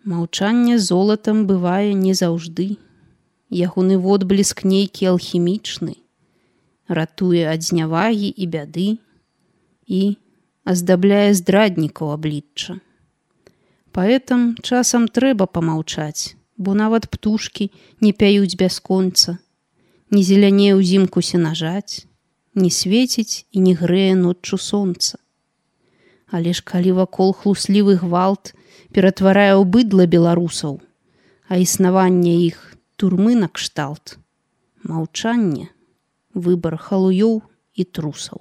Маўчанне золатам бывае не заўжды. Ягоны водбліск нейкі алхімічны, ратуе ад знявагі і бяды і аздабляе здраднікаў аблічча. Паэтам часам трэба памаўчаць, бо нават птушкі не пяюць бясконца, не зелянее ўзімку сенажаць, не свеціць і не грэе ноччу сонца. Але ж калі вакол хлуслівы гвалт ператварае ў быдла беларусаў, а існаванне іх турмы накшталт, маўчанне — выбар халуёў і трусаў.